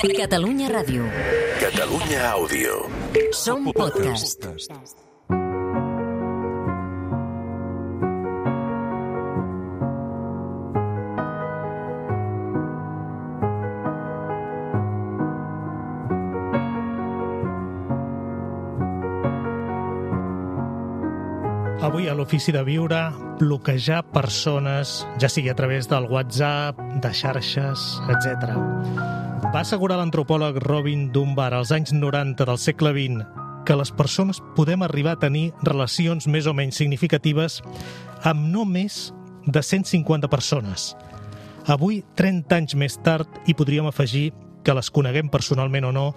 Catalunya Ràdio. Catalunya Àudio. Som podcast. Avui a l'Ofici de Viure, bloquejar persones, ja sigui a través del WhatsApp, de xarxes, etc. Va assegurar l'antropòleg Robin Dunbar als anys 90 del segle XX que les persones podem arribar a tenir relacions més o menys significatives amb no més de 150 persones. Avui, 30 anys més tard, hi podríem afegir que les coneguem personalment o no,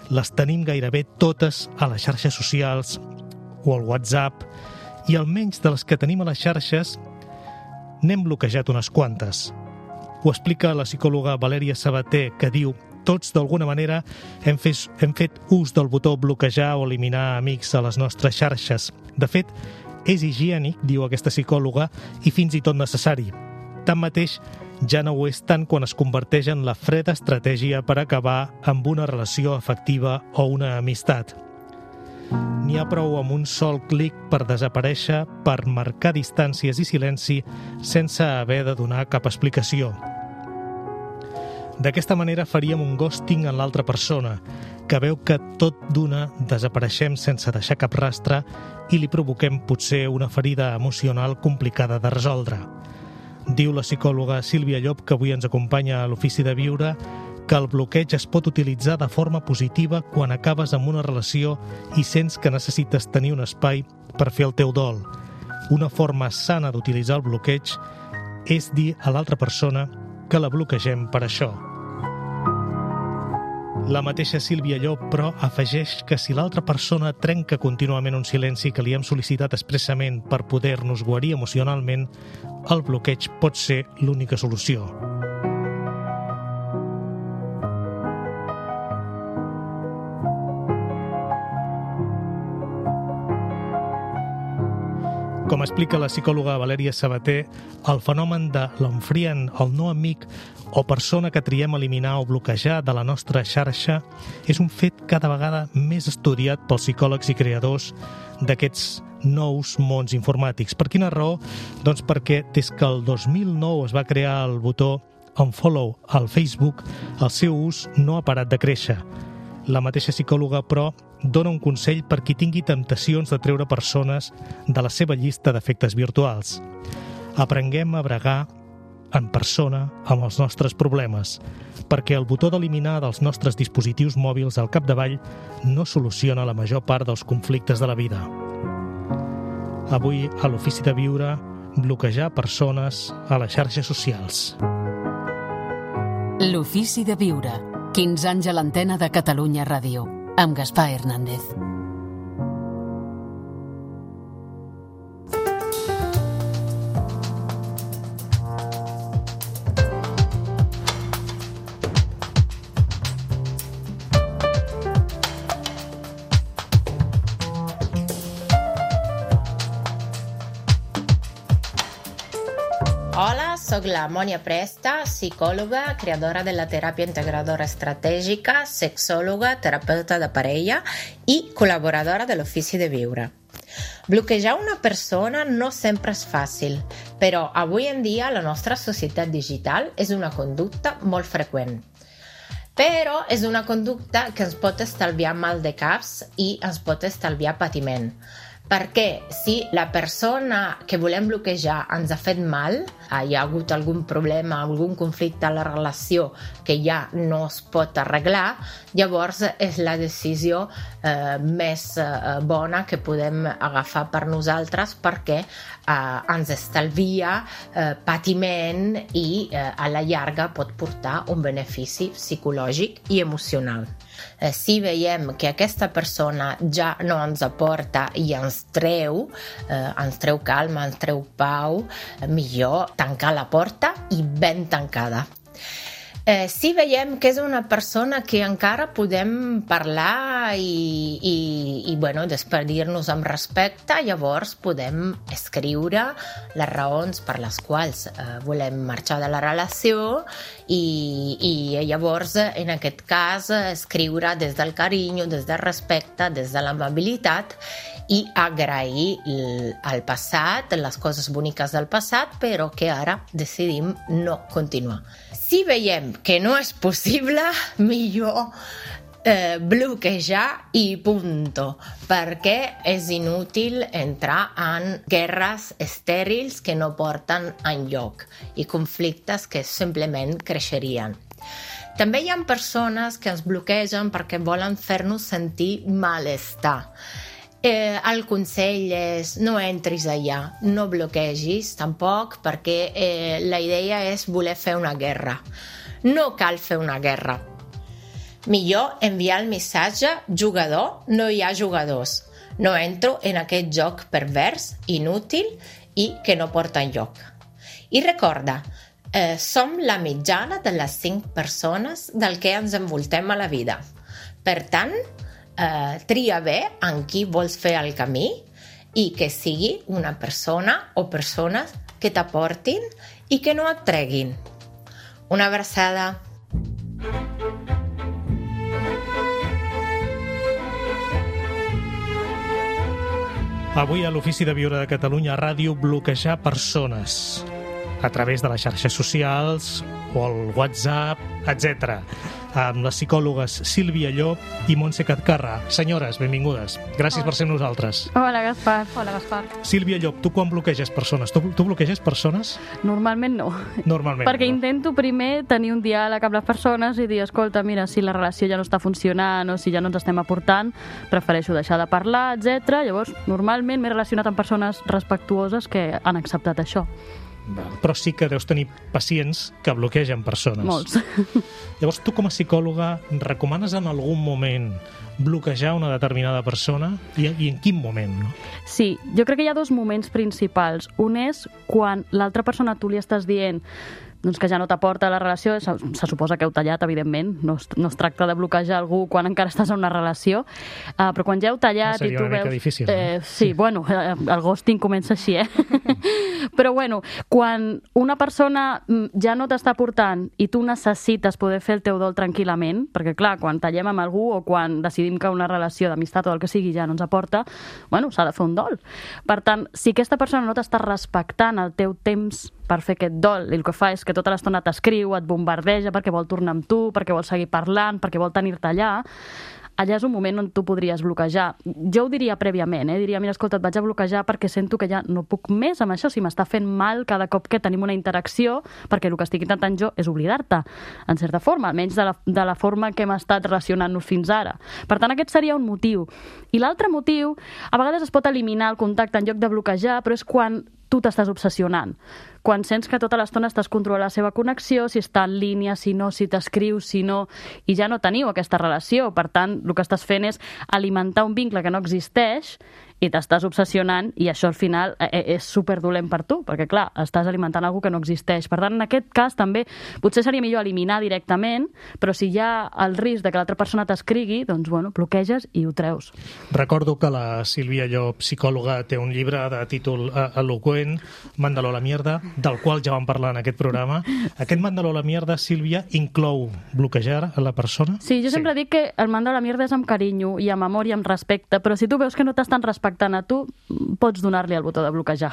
les tenim gairebé totes a les xarxes socials o al WhatsApp, i almenys de les que tenim a les xarxes n'hem bloquejat unes quantes. Ho explica la psicòloga Valèria Sabater, que diu: tots d'alguna manera hem fet ús del botó bloquejar o eliminar amics a les nostres xarxes. De fet, és higiènic, diu aquesta psicòloga, i fins i tot necessari. Tanmateix, ja no ho és tant quan es converteix en la freda estratègia per acabar amb una relació afectiva o una amistat. N'hi ha prou amb un sol clic per desaparèixer, per marcar distàncies i silenci sense haver de donar cap explicació. D'aquesta manera faríem un ghosting en l'altra persona, que veu que tot d'una desapareixem sense deixar cap rastre i li provoquem potser una ferida emocional complicada de resoldre. Diu la psicòloga Sílvia Llop, que avui ens acompanya a l'Ofici de Viure, que el bloqueig es pot utilitzar de forma positiva quan acabes amb una relació i sents que necessites tenir un espai per fer el teu dol. Una forma sana d'utilitzar el bloqueig és dir a l'altra persona que la bloquegem per això. La mateixa Sílvia Llop, però, afegeix que si l'altra persona trenca contínuament un silenci que li hem sol·licitat expressament per poder-nos guarir emocionalment, el bloqueig pot ser l'única solució. Com explica la psicòloga Valèria Sabater, el fenomen de l'unfriend, el no amic o persona que triem eliminar o bloquejar de la nostra xarxa és un fet cada vegada més estudiat pels psicòlegs i creadors d'aquests nous mons informàtics. Per quina raó? Doncs perquè des que el 2009 es va crear el botó Unfollow al Facebook, el seu ús no ha parat de créixer. La mateixa psicòloga, però, dona un consell per qui tingui temptacions de treure persones de la seva llista d'efectes virtuals. Aprenguem a bregar en persona amb els nostres problemes, perquè el botó d'eliminar dels nostres dispositius mòbils al capdavall no soluciona la major part dels conflictes de la vida. Avui, a l'Ofici de Viure, bloquejar persones a les xarxes socials. L'Ofici de Viure. 15 anys a l'antena de Catalunya Ràdio, amb Gaspar Hernández. Hola, soc la Mònia Presta, psicòloga, creadora de la teràpia integradora estratègica, sexòloga, terapeuta de parella i col·laboradora de l'Ofici de Viure. Bloquejar una persona no sempre és fàcil, però avui en dia la nostra societat digital és una conducta molt freqüent. Però és una conducta que ens pot estalviar mal de caps i ens pot estalviar patiment. Perquè si la persona que volem bloquejar ens ha fet mal, hi ha hagut algun problema, algun conflicte a la relació que ja no es pot arreglar, llavors és la decisió més bona que podem agafar per nosaltres perquè ens estalvia patiment i a la llarga pot portar un benefici psicològic i emocional. Si veiem que aquesta persona ja no ens aporta i ens treu calma, ens treu pau, millor tancar la porta i ben tancada. Si veiem que és una persona que encara podem parlar i despedir-nos amb respecte, llavors podem escriure les raons per les quals volem marxar de la relació i llavors, en aquest cas, escriure des del carinyo, des del respecte, des de l'amabilitat i agrair el passat, les coses boniques del passat, però que ara decidim no continuar. Si veiem que no és possible, millor bloquejar i punto, perquè és inútil entrar en guerres estèrils que no porten enlloc i conflictes que simplement creixerien. També hi ha persones que ens bloquegen perquè volen fer-nos sentir malestar. El consell és no entris allà, no bloquegis tampoc, perquè la idea és voler fer una guerra. No cal fer una guerra. Millor enviar el missatge jugador, no hi ha jugadors. No entro en aquest joc pervers, inútil i que no porta enlloc. I recorda, som la mitjana de les 5 persones del que ens envoltem a la vida. Per tant, tria bé en qui vols fer el camí i que sigui una persona o persones que t'aportin i que no et treguin. Una abraçada. Avui a l'Ofici de Viure de Catalunya Ràdio, bloquejar persones a través de les xarxes socials o el WhatsApp, etc. Amb les psicòlogues Sílvia Llop i Montse Catcarra. Senyores, benvingudes. Gràcies per ser amb nosaltres. Hola, Gaspar. Hola, Gaspar. Sílvia Llop, tu quan bloqueges persones? Tu bloqueges persones? Normalment no. Normalment Perquè no. Intento primer tenir un diàleg amb les persones i dir, escolta, mira, si la relació ja no està funcionant o si ja no ens estem aportant, prefereixo deixar de parlar, etc. Llavors, normalment m'he relacionat amb persones respectuoses que han acceptat això. Però sí que deus tenir pacients que bloquegen persones. Molts. Llavors, tu com a psicòloga recomanes en algun moment bloquejar una determinada persona? I en quin moment? No? Sí, jo crec que hi ha 2 moments principals. Un és quan l'altra persona tu li estàs dient doncs que ja no t'aporta la relació, se suposa que heu tallat, evidentment, no es tracta de bloquejar algú quan encara estàs en una relació, però quan ja heu tallat i tu veus... Seria una mica difícil, no? Sí, bueno, el ghosting comença així, Però bueno, quan una persona ja no t'està aportant i tu necessites poder fer el teu dol tranquil·lament, perquè clar, quan tallem amb algú o quan decidim que una relació d'amistat o el que sigui ja no ens aporta, bueno, s'ha de fer un dol. Per tant, si aquesta persona no t'està respectant el teu temps per fer aquest dol, i el que fa és que tota l'estona t'escriu, et bombardeja perquè vol tornar amb tu, perquè vol seguir parlant, perquè vol tenir-te allà és un moment on tu podries bloquejar. Jo ho diria prèviament, diria, mira, escolta, et vaig a bloquejar perquè sento que ja no puc més amb això, si m'està fent mal cada cop que tenim una interacció, perquè el que estic intentant jo és oblidar-te, en certa forma, almenys de la forma que hem estat relacionant-nos fins ara. Per tant, aquest seria un motiu. I l'altre motiu, a vegades es pot eliminar el contacte en lloc de bloquejar, però és quan tu t'estàs obsessionant. Quan sents que tota l'estona estàs controlant la seva connexió, si està en línia, si no, si t'escriu, si no, i ja no teniu aquesta relació. Per tant, el que estàs fent és alimentar un vincle que no existeix i t'estàs obsessionant i això al final és superdolent per tu, perquè clar, estàs alimentant algo que no existeix. Per tant, en aquest cas també potser seria millor eliminar directament, però si hi ha el risc de que l'altra persona t'escrigui, doncs bueno, bloqueges i ho treus. Recordo que la Sílvia Llop, psicòloga, té un llibre de títol eloqüent, Mándalo a la mierda, del qual ja vam parlar en aquest programa. Aquest Mándalo a la mierda, Sílvia, inclou bloquejar a la persona? Sí, jo sempre dic que el Mándalo a la mierda és amb carinyo i amb amor i amb respecte, però si tu veus que no t'estan respectant a tu, pots donar-li el botó de bloquejar.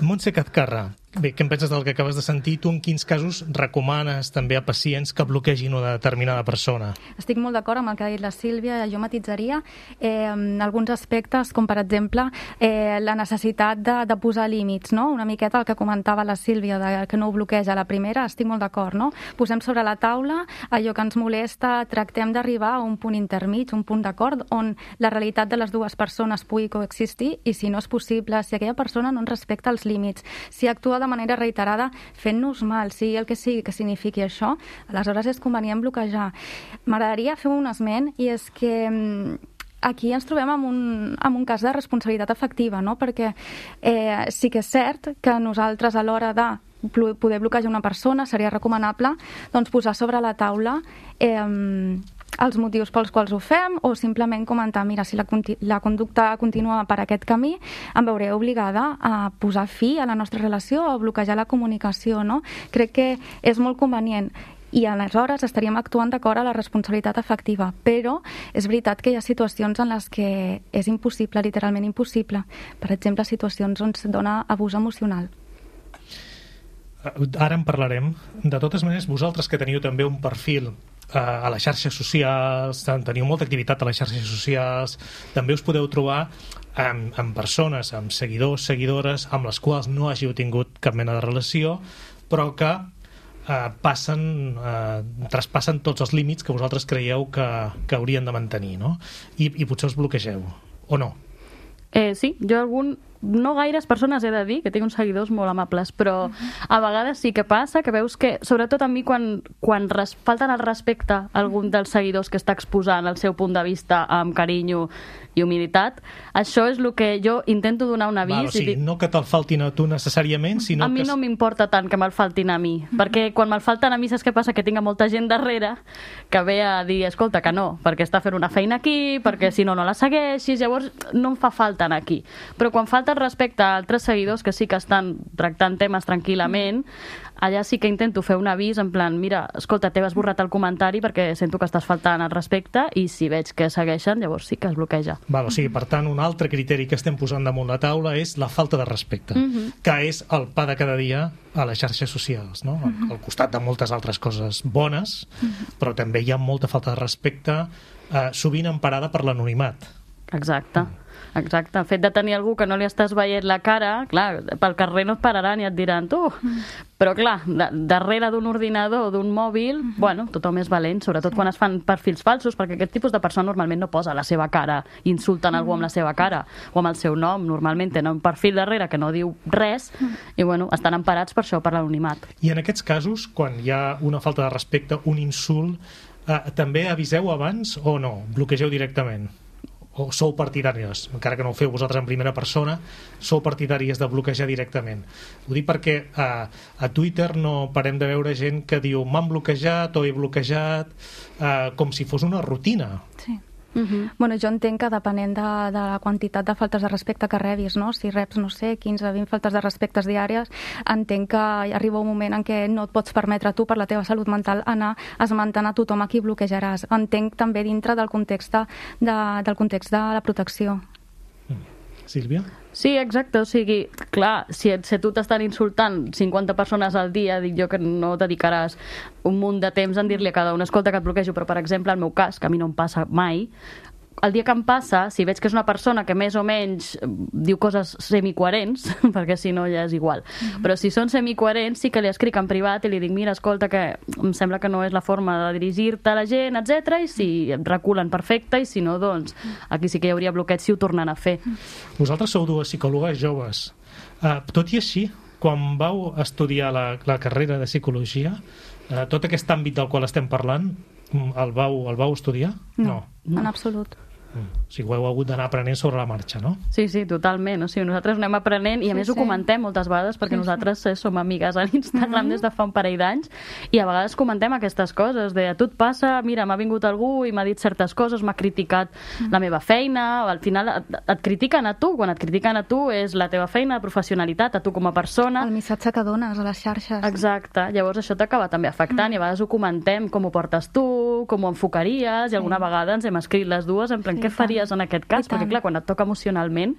Montse Catcarra, bé, què en penses del que acabes de sentir? Tu en quins casos recomanes també a pacients que bloquegin una determinada persona? Estic molt d'acord amb el que ha dit la Sílvia. Jo matitzaria alguns aspectes, com per exemple la necessitat de posar límits, no? Una miqueta el que comentava la Sílvia, que no ho bloqueja a la primera, estic molt d'acord, no? Posem sobre la taula allò que ens molesta, tractem d'arribar a un punt intermig, un punt d'acord, on la realitat de les dues persones pugui coexistir i si no és possible, si aquella persona no ens respecta els límits, si actua de manera reiterada fent-nos mal, sigui el que sigui que signifiqui això, aleshores és convenient bloquejar. M'agradaria fer un esment, i és que aquí ens trobem amb un cas de responsabilitat afectiva, no? Perquè sí que és cert que nosaltres a l'hora de poder bloquejar una persona, seria recomanable doncs, posar sobre la taula els motius pels quals ho fem, o simplement comentar, mira, si la conducta continua per aquest camí, em veuré obligada a posar fi a la nostra relació o a bloquejar la comunicació, no? Crec que és molt convenient i aleshores estaríem actuant d'acord a la responsabilitat efectiva, però és veritat que hi ha situacions en les que és impossible, literalment impossible. Per exemple, situacions on es dona abús emocional. Ara en parlarem. De totes maneres, vosaltres que teniu també un perfil a les xarxes socials, teniu molta activitat a les xarxes socials, també us podeu trobar amb persones, amb seguidors, seguidores, amb les quals no hàgiu tingut cap mena de relació, però que traspassen tots els límits que vosaltres creieu que haurien de mantenir, no? I potser us bloquegeu, o no? Sí, jo no gaires persones he de dir, que tinc uns seguidors molt amables, però a vegades sí que passa, que veus que, sobretot a mi, quan falten el respecte a algun dels seguidors que està exposant el seu punt de vista amb carinyo i humilitat, això és el que jo intento donar un avís. O sigui, no que te'l faltin a tu necessàriament, sinó que... A mi no m'importa tant que me'l faltin a mi, perquè quan me'l falten a mi, saps què passa? Que tinc molta gent darrere que ve a dir, escolta, que no, perquè està fent una feina aquí, perquè si no, no la segueixis, llavors no em fa falta anar aquí. Però quan falta respecte a altres seguidors que sí que estan tractant temes tranquil·lament, allà sí que intento fer un avís en plan, mira, escolta, t'he esborrat el comentari perquè sento que estàs faltant el respecte, i si veig que segueixen, llavors sí que es bloqueja. O sigui, per tant, un altre criteri que estem posant damunt la taula és la falta de respecte, que és el pa de cada dia a les xarxes socials, no? Al costat de moltes altres coses bones, però també hi ha molta falta de respecte, sovint emparada per l'anonimat. Exacte. El fet de tenir algú que no li estàs veient la cara, clar, pel carrer no et pararan i et diran tu, però clar, darrere d'un ordinador o d'un mòbil, bueno, tothom és valent, sobretot quan es fan perfils falsos, perquè aquest tipus de persona normalment no posa la seva cara, insulten algú amb la seva cara o amb el seu nom, normalment tenen un perfil darrere que no diu res i bueno, estan emparats per això, per l'anonimat. I en aquests casos, quan hi ha una falta de respecte, un insult, també aviseu abans o no? Bloquegeu directament? O sou partidàries, encara que no ho feu vosaltres en primera persona, sou partidàries de bloquejar directament? Ho dic perquè a Twitter no parem de veure gent que diu m'han bloquejat o he bloquejat, com si fos una rutina. Sí. Bueno, jo entenc que depenent de la quantitat de faltes de respecte que rebis, no? Si reps, no sé, 15-20 faltes de respectes diàries, entenc que arriba un moment en què no et pots permetre tu, per la teva salut mental, anar esmentant a tothom a qui bloquejaràs. Entenc també dintre del context de la protecció. Sílvia? Sí, exacte, o sigui, clar, si tu t'estan insultant 50 persones al dia, dic jo que no dedicaràs un munt de temps en dir-li a cada una, escolta, que et bloquejo, però per exemple, el meu cas, que a mi no em passa mai, el dia que em passa, si veig que és una persona que més o menys diu coses semicoherents, perquè si no ja és igual, però si són semicoherents sí que li escric en privat i li dic, mira, escolta, que em sembla que no és la forma de dirigir-te a la gent, etc. I si em reculen, perfecte, i si no, doncs aquí sí que hi hauria bloqueig si ho tornen a fer. Vosaltres sou dues psicòlogues joves. Tot i així, quan vau estudiar la carrera de psicologia, tot aquest àmbit del qual estem parlant, el vau estudiar? No, en absolut. O sigui, ho heu hagut d'anar aprenent sobre la marxa, no? Sí, totalment. O sigui, nosaltres anem aprenent i a més ho comentem moltes vegades perquè nosaltres som amigues a l'Instagram des de fa un parell d'anys i a vegades comentem aquestes coses de a tu et passa, mira, m'ha vingut algú i m'ha dit certes coses, m'ha criticat la meva feina, al final et critiquen a tu, quan et critiquen a tu és la teva feina, la professionalitat, a tu com a persona. El missatge que dones a les xarxes. Exacte. Llavors això t'acaba també afectant i a vegades ho comentem, com ho portes tu, com ho enfocaries, i alguna vegada ens hem escrit les dues en plan, què faries en aquest cas? Perquè clar, quan et toca emocionalment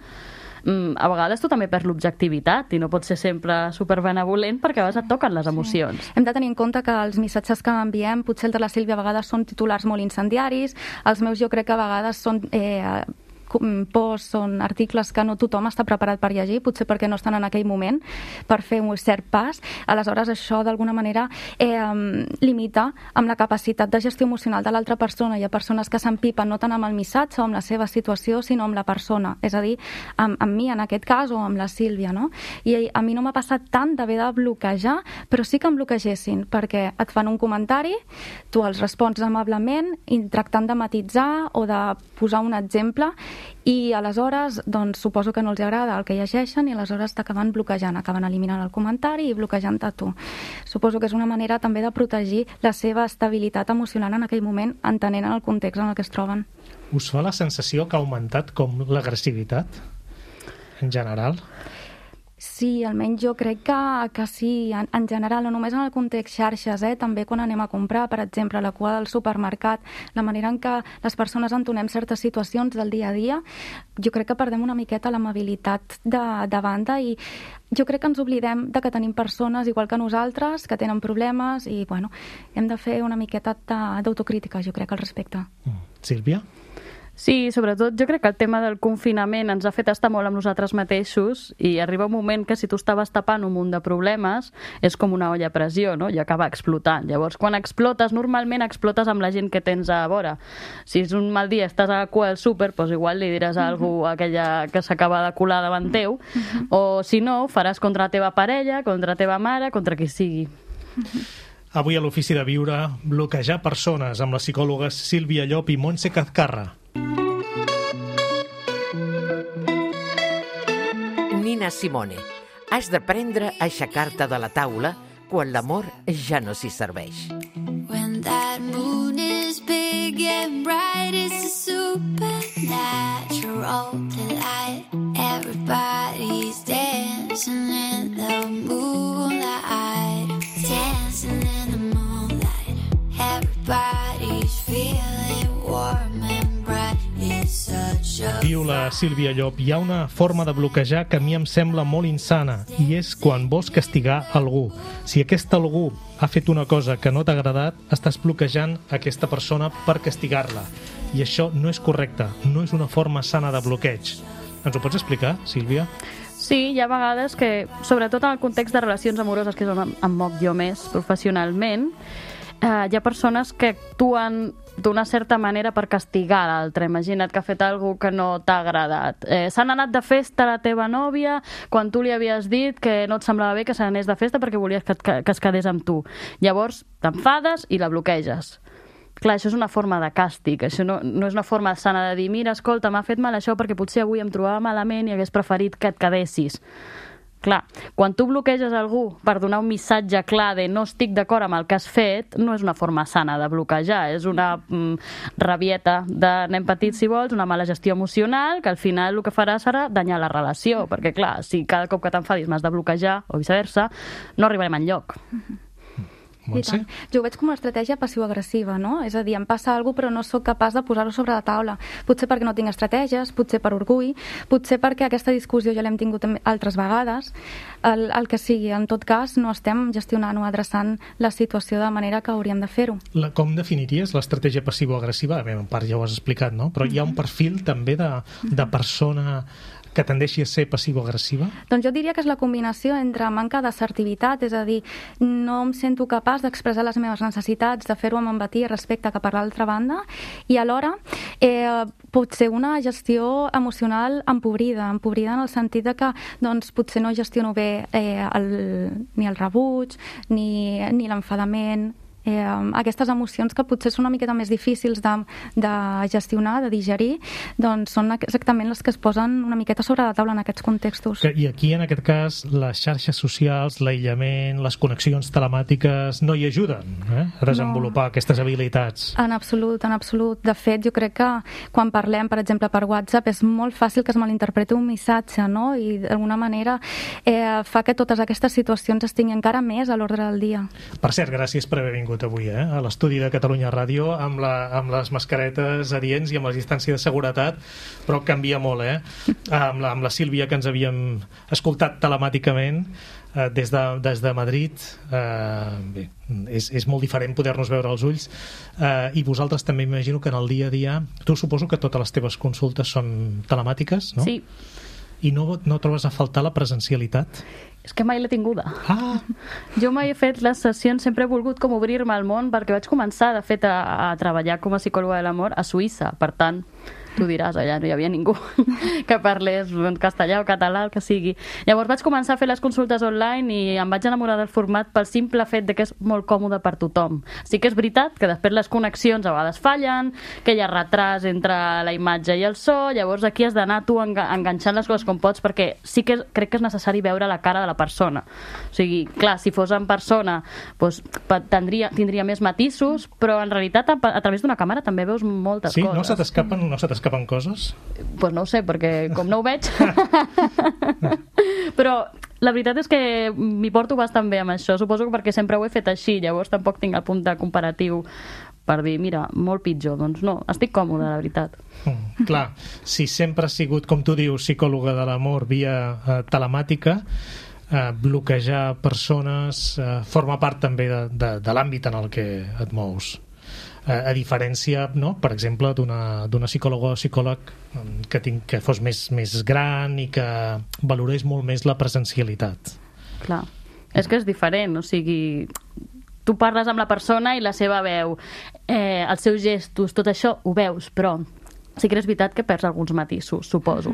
a vegades tu també perds l'objectivitat i no pots ser sempre superbenevolent perquè a vegades et toquen les emocions. Hem de tenir en compte que els missatges que enviem, potser el de la Sílvia a vegades són titulars molt incendiaris, els meus jo crec que a vegades són posts, són articles que no tothom està preparat per llegir, potser perquè no estan en aquell moment per fer un cert pas. Aleshores això d'alguna manera limita amb la capacitat de gestió emocional de l'altra persona. Hi ha persones que s'empipen no tant amb el missatge o amb la seva situació, sinó amb la persona, és a dir, amb mi en aquest cas o amb la Sílvia, no? I a mi no m'ha passat tant d'haver de bloquejar, però sí que em bloquegessin, perquè et fan un comentari, tu els respons amablement, tractant de matitzar o de posar un exemple, i aleshores doncs, suposo que no els agrada el que llegeixen i aleshores t'acaben bloquejant, acaben eliminant el comentari i bloquejant-te a tu. Suposo que és una manera també de protegir la seva estabilitat emocional en aquell moment, entenent el context en el que es troben. Us fa la sensació que ha augmentat com l'agressivitat en general? Sí, almenys jo crec que sí, en general, no només en el context xarxes, també quan anem a comprar, per exemple, a la cua del supermercat, la manera en què les persones entonem certes situacions del dia a dia, jo crec que perdem una miqueta l'amabilitat de banda i jo crec que ens oblidem de que tenim persones igual que nosaltres, que tenen problemes i, bueno, hem de fer una miqueta d'autocrítica, jo crec, al respecte. Sílvia? Sí, sobretot jo crec que el tema del confinament ens ha fet estar molt amb nosaltres mateixos i arriba un moment que si tu estaves tapant un munt de problemes és com una olla a pressió, no? I acaba explotant. Llavors, quan explotes, normalment explotes amb la gent que tens a vora. Si és un mal dia, estàs a la cua del súper, doncs igual li diràs a algú aquella que s'acaba de colar davant teu, o si no, ho faràs contra la teva parella, contra la teva mare, contra qui sigui. Avui a l'Ofici de Viure, bloquejar persones amb les psicòlogues Sílvia Llop i Montse Cazcarra. Nina Simone, has d'aprendre a aixecar-te de la taula quan l'amor ja no s'hi serveix. When that moon is big and bright, it's a supernatural delight. Everybody's dancing in the moonlight, dancing in the moonlight. Everybody's feeling warm and bright. It's such a... Diu la Sílvia Llop, hi ha una forma de bloquejar que a mi em sembla molt insana i és quan vols castigar algú. Si aquest algú ha fet una cosa que no t'ha agradat, estàs bloquejant aquesta persona per castigar-la. I això no és correcte, no és una forma sana de bloqueig. Ens ho pots explicar, Sílvia? Sí, hi ha vegades que, sobretot en el context de relacions amoroses, que és on em moc jo més professionalment, hi ha persones que actuen d'una certa manera per castigar l'altre. Imagina't que ha fet alguna que no t'ha agradat. S'han anat de festa a la teva nòvia quan tu li havies dit que no et semblava bé que se n'anés de festa perquè volies que es quedés amb tu. Llavors t'enfades i la bloqueges. Clar, això és una forma de càstig, això no és una forma sana de dir mira, escolta, m'ha fet mal això perquè potser avui em trobava malament i hagués preferit que et quedessis. Clar, quan tu bloqueges algú per donar un missatge clar de no estic d'acord amb el que has fet, no és una forma sana de bloquejar, és una rabieta de nen petit, si vols, una mala gestió emocional, que al final el que farà serà danyar la relació, perquè clar, si cada cop que t'enfadis m'has de bloquejar, o viceversa, no arribarem enlloc. Montse? Jo ho veig com una estratègia passiu-agressiva, no? És a dir, em passa alguna cosa però no sóc capaç de posar-ho sobre la taula. Potser perquè no tinc estratègies, potser per orgull, potser perquè aquesta discussió ja l'hem tingut altres vegades. El que sigui, en tot cas, no estem gestionant o adreçant la situació de manera que hauríem de fer-ho. Com definiries l'estratègia passivo-agressiva? Bé, en part ja ho has explicat, no? Però hi ha un perfil també de persona que tendeixi a ser passivo-agressiva? Doncs jo diria que és la combinació entre manca d'assertivitat, és a dir, no em sento capaç d'expressar les meves necessitats, de fer-ho amb empatia i respecte cap a l'altra banda, i alhora pot ser una gestió emocional empobrida en el sentit de que doncs, potser no gestiono bé ni el rebuig, ni l'enfadament, aquestes emocions que potser són una miqueta més difícils de gestionar, de digerir, doncs són exactament les que es posen una miqueta sobre la taula en aquests contextos. I aquí, en aquest cas, les xarxes socials, l'aïllament, les connexions telemàtiques no hi ajuden a desenvolupar aquestes habilitats? En absolut, en absolut. De fet, jo crec que quan parlem, per exemple, per WhatsApp, és molt fàcil que es malinterpreti un missatge, no? I d'alguna manera fa que totes aquestes situacions estiguin encara més a l'ordre del dia. Per cert, gràcies per haver vingut avui a l'estudi de Catalunya Ràdio amb les mascaretes adients i amb la distància de seguretat, però canvia molt, amb la Sílvia, que ens havíem escoltat telemàticament des de Madrid. Bé, és molt diferent poder-nos veure als ulls, i vosaltres també m'imagino que en el dia a dia, tu suposo que totes les teves consultes són telemàtiques, no? Sí. I no trobes a faltar la presencialitat? És que mai l'he tinguda. Ah, Jo mai he fet les sessions, sempre he volgut com obrir-me al món, perquè vaig començar, de fet, a treballar com a psicòloga de l'amor a Suïssa. Per tant, tu diràs, allà no hi havia ningú que parlés castellà o català, el que sigui. Llavors vaig començar a fer les consultes online i em vaig enamorar del format pel simple fet de que és molt còmode per tothom. Sí que és veritat que després les connexions a vegades fallen, que hi ha retras entre la imatge i el so, llavors aquí has d'anar tu enganxant les coses com pots, perquè sí que crec que és necessari veure la cara de la persona. O sigui, clar, si fos en persona doncs, tindria més matisos, però en realitat a través d'una càmera també veus moltes sí? coses. No se t'escapen coses? Pues no ho sé, perquè com no ho veig... Però la veritat és que m'hi porto bastant bé amb això. Suposo que perquè sempre ho he fet així, llavors tampoc tinc el punt de comparatiu per dir, mira, molt pitjor. Doncs no, estic còmode, la veritat. Clar, si sempre has sigut, com tu dius, psicòloga de l'amor via telemàtica, bloquejar persones forma part també de l'àmbit en el que et mous. A diferència, no? Per exemple, d'una psicòloga o psicòleg que fos més gran i que valorés molt més la presencialitat. Clar, és que és diferent, o sigui, tu parles amb la persona i la seva veu, els seus gestos, tot això ho veus, però sí que és veritat que perds alguns matisos, suposo.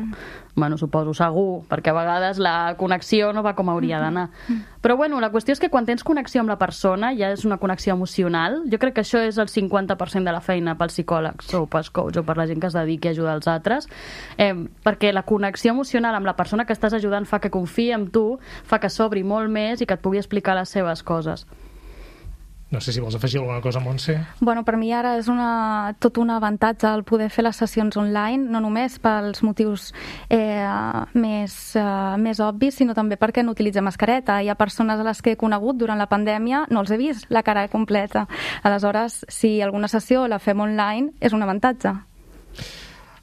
Bueno, suposo, segur, perquè a vegades la connexió no va com hauria d'anar. Però bueno, la qüestió és que quan tens connexió amb la persona, ja és una connexió emocional, jo crec que això és el 50% de la feina pels psicòlegs o pels coaches o per la gent que es dediqui a ajudar els altres, perquè la connexió emocional amb la persona que estàs ajudant fa que confiï en tu, fa que s'obri molt més i que et pugui explicar les seves coses. No sé si vols afegir alguna cosa, Montse. Bueno, per mi ara és tot un avantatge el poder fer les sessions online, no només pels motius més obvis, sinó també perquè no utilitza mascareta. Hi ha persones a les que he conegut durant la pandèmia, no els he vist la cara completa. Aleshores, si alguna sessió la fem online, és un avantatge.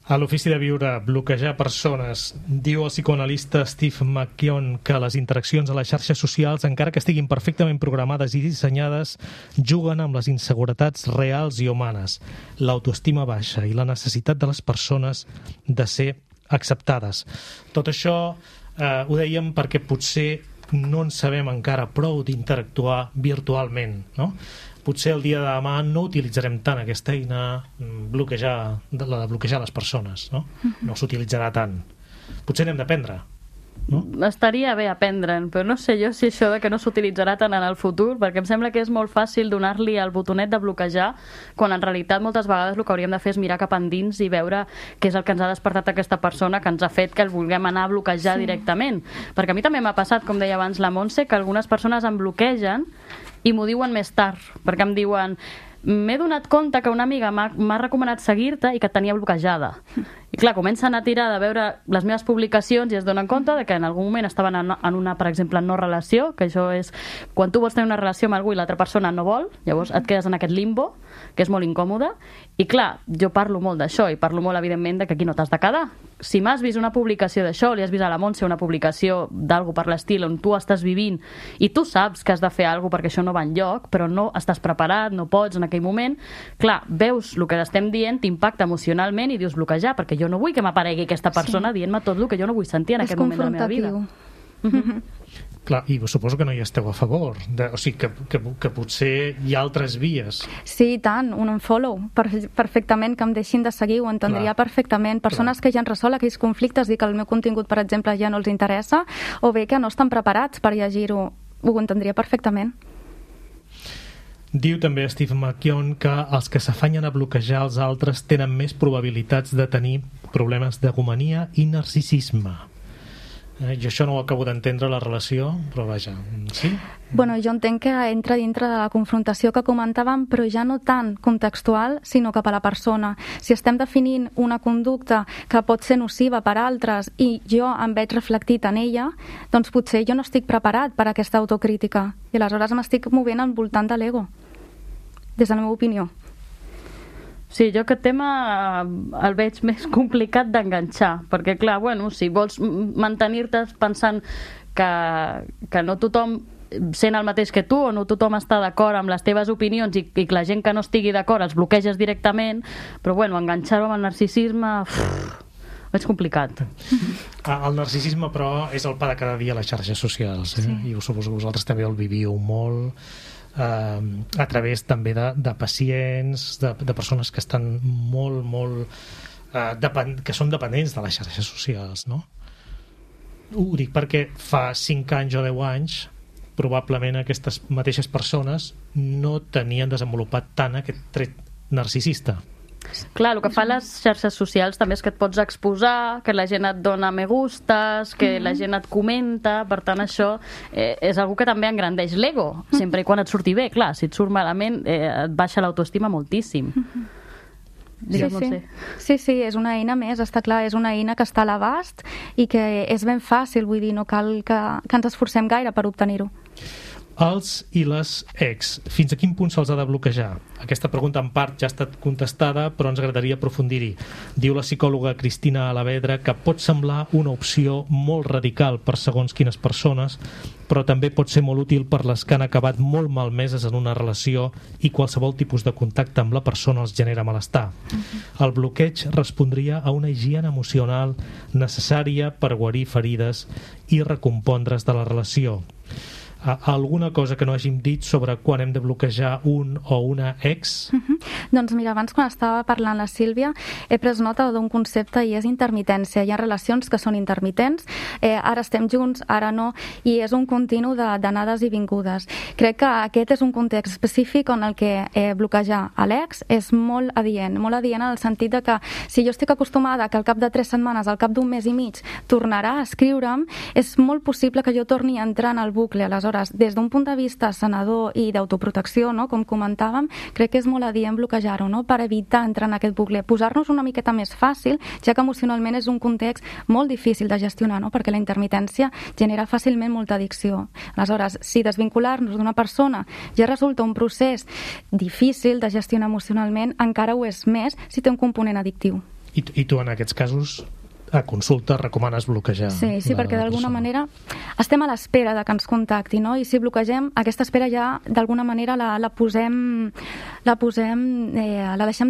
A l'Ofici de Viure, bloquejar persones. Diu el psicoanalista Steve McKeown que les interaccions a les xarxes socials, encara que estiguin perfectament programades i dissenyades, juguen amb les inseguretats reals i humanes, l'autoestima baixa i la necessitat de les persones de ser acceptades. Tot això ho dèiem perquè potser no en sabem encara prou d'interactuar virtualment, no? Potser el dia de demà no utilitzarem tant aquesta eina la de bloquejar les persones, no? No s'utilitzarà tant. Potser n'hem d'aprendre, no? Estaria bé aprendre'n, però no sé jo si això de que no s'utilitzarà tant en el futur, perquè em sembla que és molt fàcil donar-li el botonet de bloquejar, quan en realitat moltes vegades el que hauríem de fer és mirar cap endins i veure què és el que ens ha despertat aquesta persona que ens ha fet que el vulguem anar a bloquejar directament. Perquè a mi també m'ha passat, com deia abans la Montse, que algunes persones em bloquegen i m'ho diuen més tard, perquè em diuen m'he donat compte que una amiga m'ha recomanat seguir-te i que et tenia bloquejada. I clar, comencen a tirar de veure les meves publicacions i es donen compte de que en algun moment estaven en una, per exemple, no relació, que això és quan tu vols tenir una relació amb algú i l'altra persona no vol, llavors et quedes en aquest limbo, que és molt incòmode, i clar, jo parlo molt d'això i parlo molt, evidentment, de que aquí no t'has de quedar. Si m'has vist una publicació d'això, li has vist a la Montse una publicació d'algú per l'estil on tu estàs vivint i tu saps que has de fer alguna cosa perquè això no va enlloc, però no estàs preparat, no pots en aquell moment, clar, veus el que estem dient, t'impacta emocionalment i dius bloquejar, perquè jo no vull que m'aparegui aquesta persona dient-me tot el que jo no vull sentir en aquest moment de la meva vida. Clar, i suposo que no hi esteu a favor, o sigui, que potser hi ha altres vies. Sí, i tant, un unfollow, perfectament, que em deixin de seguir, ho entendria perfectament. Persones que ja han resolt aquells conflictes i que el meu contingut, per exemple, ja no els interessa, o bé que no estan preparats per llegir-ho, ho entendria perfectament. Diu també Steve McKeown que els que s'afanyen a bloquejar els altres tenen més probabilitats de tenir problemes d'egomania i narcisisme. Jo això no ho acabo d'entendre, la relació, però vaja, sí? Bueno, jo entenc que entra dintre de la confrontació que comentàvem, però ja no tant contextual, sinó cap a la persona. Si estem definint una conducta que pot ser nociva per a altres i jo em veig reflectit en ella, doncs potser jo no estic preparat per a aquesta autocrítica i aleshores m'estic movent al voltant de l'ego, des de la meva opinió. Sí, jo aquest tema el veig més complicat d'enganxar, perquè clar, bueno, si vols mantenir-te pensant que no tothom sent el mateix que tu o no tothom està d'acord amb les teves opinions i que la gent que no estigui d'acord els bloqueges directament, però bueno, enganxar-ho amb el narcisisme és complicat. El narcisisme, però, és el pa de cada dia a les xarxes socials, i suposo que vosaltres també el viviu molt a través també de pacients, de persones que estan molt que són dependents de les xarxes socials, no? Ho dic perquè fa 5 anys o 10 anys probablement aquestes mateixes persones no tenien desenvolupat tant aquest tret narcisista. Clar, el que fan les xarxes socials també és que et pots exposar, que la gent et dona me gustes, que la gent et comenta, per tant això és algo que també engrandeix l'ego, sempre i quan et surti bé. Clar, si et surt malament et baixa l'autoestima moltíssim. Sí, és una eina més, està clar, és una eina que està a l'abast i que és ben fàcil, vull dir, no cal que ens esforcem gaire per obtenir-ho. Els i les ex, fins a quin punt se'ls ha de bloquejar? Aquesta pregunta en part ja ha estat contestada, però ens agradaria aprofundir-hi. Diu la psicòloga Cristina Alavedra que pot semblar una opció molt radical per segons quines persones, però també pot ser molt útil per les que han acabat molt malmeses en una relació i qualsevol tipus de contacte amb la persona els genera malestar. El bloqueig respondria a una higiene emocional necessària per guarir ferides i recompondre's de la relació. Alguna cosa que no hàgim dit sobre quan hem de bloquejar un o una ex? Doncs mira, abans quan estava parlant la Sílvia he pres nota d'un concepte i és intermitència. Hi ha relacions que són intermitents, ara estem junts, ara no, i és un continu d'anades i vingudes. Crec que aquest és un context específic on el que bloquejar a l'ex és molt adient en el sentit de que si jo estic acostumada que al cap de 3 setmanes, al cap d'un mes i mig, tornarà a escriure'm, és molt possible que jo torni a entrar en el bucle. Aleshores, des d'un punt de vista sanador i d'autoprotecció, no? Com comentàvem, crec que és molt adient bloquejar-ho, no? Per evitar entrar en aquest bucle, posar-nos una miqueta més fàcil, ja que emocionalment és un context molt difícil de gestionar, no? Perquè la intermitència genera fàcilment molta addicció. Aleshores, si desvincular-nos d'una persona ja resulta un procés difícil de gestionar emocionalment, encara ho és més si té un component addictiu. I tu en aquests casos a consulta recomanes bloquejar? Sí, perquè d'alguna manera estem a l'espera de que ens contacti, no? I si bloquegem, aquesta espera ja d'alguna manera la deixem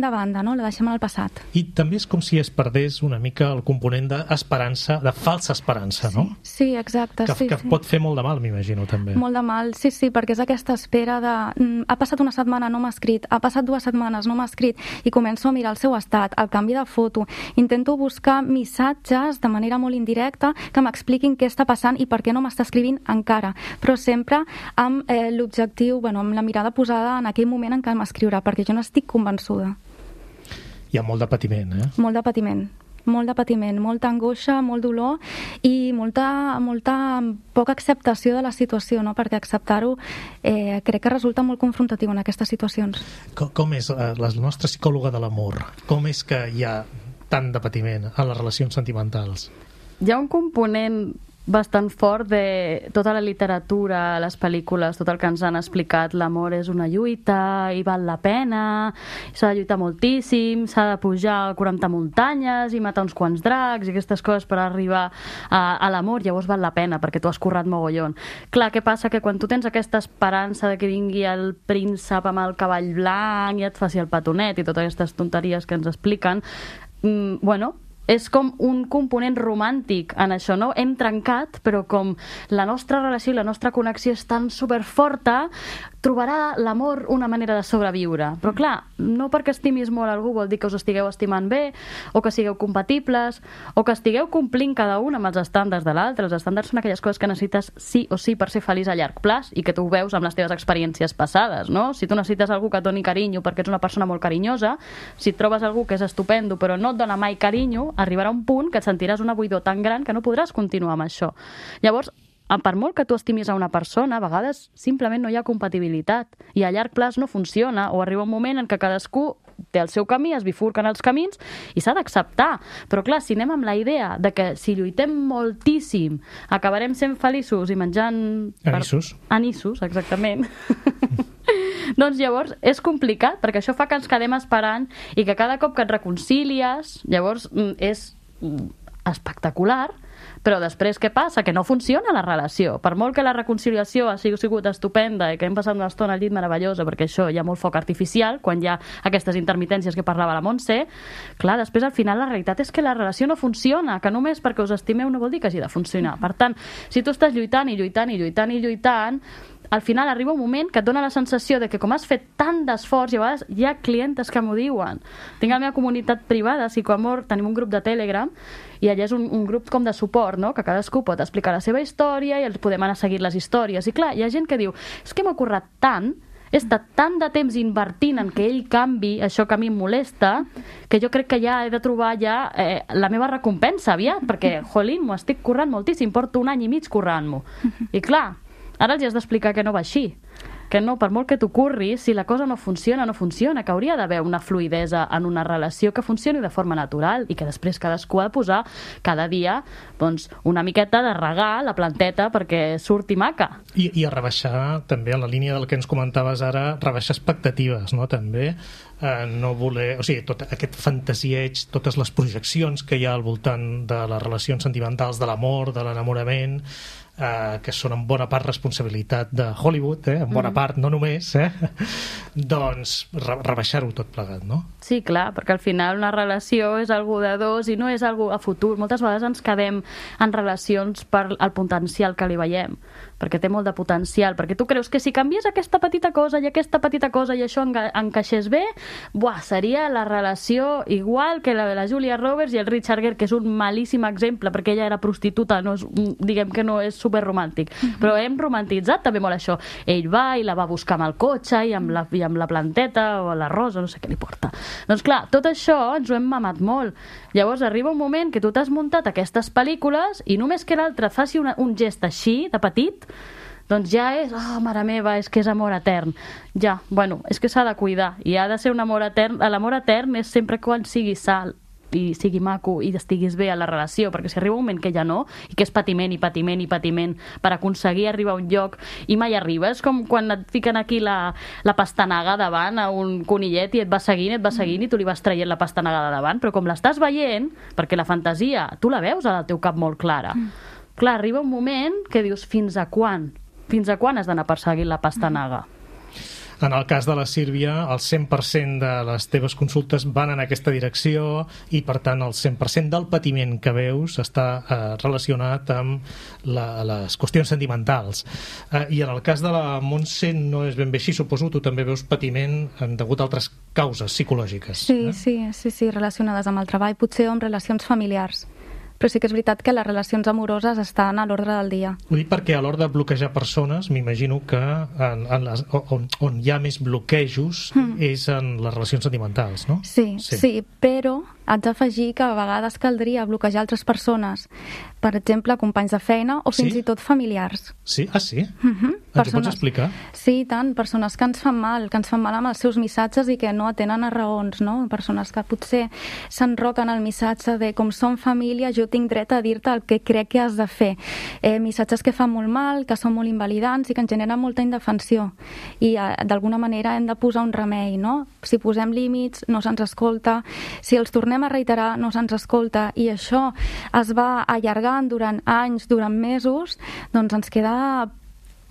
de banda, no? La deixem en el passat. I també és com si es perdés una mica el component d'esperança, de falsa esperança, no? Sí, exacte. Que pot fer molt de mal, m'imagino, també. Molt de mal, sí, perquè és aquesta espera de ha passat una setmana, no m'ha escrit, ha passat 2 setmanes, no m'ha escrit, i començo a mirar el seu estat, el canvi de foto, intento buscar missatges de manera molt indirecta que m'expliquin què està passant i per què no m'està escrivint encara, però sempre amb l'objectiu, amb la mirada posada en aquell moment en què m'escriurà, perquè jo no estic convençuda. Hi ha molt de patiment, Molt de patiment, molta angoixa, molt dolor i molta poca acceptació de la situació, no? Perquè acceptar-ho crec que resulta molt confrontatiu en aquestes situacions. Com és la nostra psicòloga de l'amor? Com és que hi ha tant de patiment en les relacions sentimentals? Hi ha un component bastant fort de tota la literatura, les pel·lícules, tot el que ens han explicat. L'amor és una lluita i val la pena, s'ha de lluitar moltíssim, s'ha de pujar 40 muntanyes i matar uns quants dracs i aquestes coses per arribar a l'amor. Llavors val la pena perquè tu has currat mogollon. Clar, què passa? Que quan tu tens aquesta esperança de que vingui el príncep amb el cavall blanc i et faci el petonet i totes aquestes tonteries que ens expliquen, és com un component romàntic en això, no? Hem trencat, però com la nostra relació i la nostra connexió és tan superforta, trobarà l'amor una manera de sobreviure. Però clar, no perquè estimis molt algú vol dir que us estigueu estimant bé, o que sigueu compatibles, o que estigueu complint cada un amb els estàndards de l'altre. Els estàndards són aquelles coses que necessites sí o sí per ser feliç a llarg plaç i que tu ho veus amb les teves experiències passades, no? Si tu necessites algú que et doni carinyo perquè ets una persona molt carinyosa, si et trobes algú que és estupendo però no et dona mai carinyo, arribarà un punt que et sentiràs una buidor tan gran que no podràs continuar amb això. Llavors, per molt que tu estimis a una persona, a vegades simplement no hi ha compatibilitat i a llarg plaç no funciona, o arriba un moment en què cadascú té el seu camí, es bifurquen els camins i s'ha d'acceptar. Però clar, si anem amb la idea de que si lluitem moltíssim acabarem sent feliços i menjant... Anissos, exactament. Doncs llavors és complicat, perquè això fa que ens quedem esperant i que cada cop que et reconcilies, llavors espectacular, però després què passa? Que no funciona la relació. Per molt que la reconciliació ha sigut estupenda i que hem passat una estona al llit meravellosa, perquè això hi ha molt foc artificial, quan hi ha aquestes intermitències que parlava la Montse, clar, després al final la realitat és que la relació no funciona, que només perquè us estimeu no vol dir que hagi de funcionar. Per tant, si tu estàs lluitant i lluitant i lluitant i lluitant, al final arriba un moment que et dona la sensació de que com has fet tant d'esforç, i a vegades hi ha clientes que m'ho diuen. Tinc la meva comunitat privada, Psicoamor, tenim un grup de Telegram, i allà és un grup com de suport, no? Que cadascú pot explicar la seva història i els podem anar a seguir les històries. I clar, hi ha gent que diu, és que m'ha currat tant, he estat tant de temps invertint en que ell canvi això que a mi em molesta, que jo crec que ja he de trobar la meva recompensa aviat, perquè, jolín, m'ho estic currant moltíssim, porto 1 any i mig currant-m'ho. I clar, ara els has d'explicar que no va així, que no, per molt que t'ho curris, si la cosa no funciona, no funciona, que hauria d'haver una fluidesa en una relació que funcioni de forma natural i que després cadascú ha de posar cada dia doncs, una miqueta de regar la planteta perquè surti maca. I a rebaixar també, a la línia del que ens comentaves ara, rebaixar expectatives, no? També no voler... O sigui, tot aquest fantasieig, totes les projeccions que hi ha al voltant de les relacions sentimentals, de l'amor, de l'enamorament, que són en bona part responsabilitat de Hollywood, en bona part, no només, doncs rebaixar-ho tot plegat, no? Sí, clar, perquè al final una relació és algo de dos i no és algo a futur. Moltes vegades ens quedem en relacions per el potencial que li veiem, perquè té molt de potencial, perquè tu creus que si canvies aquesta petita cosa i aquesta petita cosa i això encaixés bé, seria la relació igual que la de la Julia Roberts i el Richard Gere, que és un malíssim exemple, perquè ella era prostituta, no és, diguem que no és superromàntic, però hem romantitzat també molt això. Ell va i la va buscar amb el cotxe i amb la planteta o la rosa, no sé què li porta. Doncs clar, tot això ens ho hem mamat molt. Llavors arriba un moment que tu t'has muntat aquestes pel·lícules i només que l'altre faci un gest així, de petit, doncs ja és, mare meva, és que és amor etern. Ja, bueno, és que s'ha de cuidar i ha de ser un amor etern. L'amor etern és sempre quan sigui sal i sigui maco i estiguis bé a la relació, perquè si arriba un moment que ja no, i que és patiment i patiment i patiment per aconseguir arribar a un lloc i mai arriba, és com quan et fiquen aquí la pastanaga davant a un conillet i et va seguint i tu li vas traient la pastanaga de davant, però com l'estàs veient, perquè la fantasia tu la veus al teu cap molt clara, clar, arriba un moment que dius, fins a quan has d'anar perseguint la pastanaga? En el cas de la Sílvia, el 100% de les teves consultes van en aquesta direcció i, per tant, el 100% del patiment que veus està relacionat amb les qüestions sentimentals. I en el cas de la Montse no és ben bé així, suposo, tu també veus patiment degut a altres causes psicològiques. Sí, relacionades amb el treball, potser amb relacions familiars. Però sí que és veritat que les relacions amoroses estan a l'ordre del dia. Ho dic perquè a l'hora de bloquejar persones, m'imagino que on hi ha més bloquejos és en les relacions sentimentals, no? Sí, però haig d'afegir que a vegades caldria bloquejar altres persones, per exemple, companys de feina o fins i tot familiars. Sí? Sí? Ens ho pots explicar? Sí, tant, persones que ens fan mal amb els seus missatges i que no atenen a raons, no? Persones que potser s'enroquen al missatge de com som família, jo tinc dret a dir-te el que crec que has de fer. Missatges que fan molt mal, que són molt invalidants i que ens generen molta indefensió. I d'alguna manera hem de posar un remei, no? Si posem límits, no se'ns escolta. Si els tornem a reiterar, no se'ns escolta. I això es va allargant durant anys, durant mesos, doncs ens queda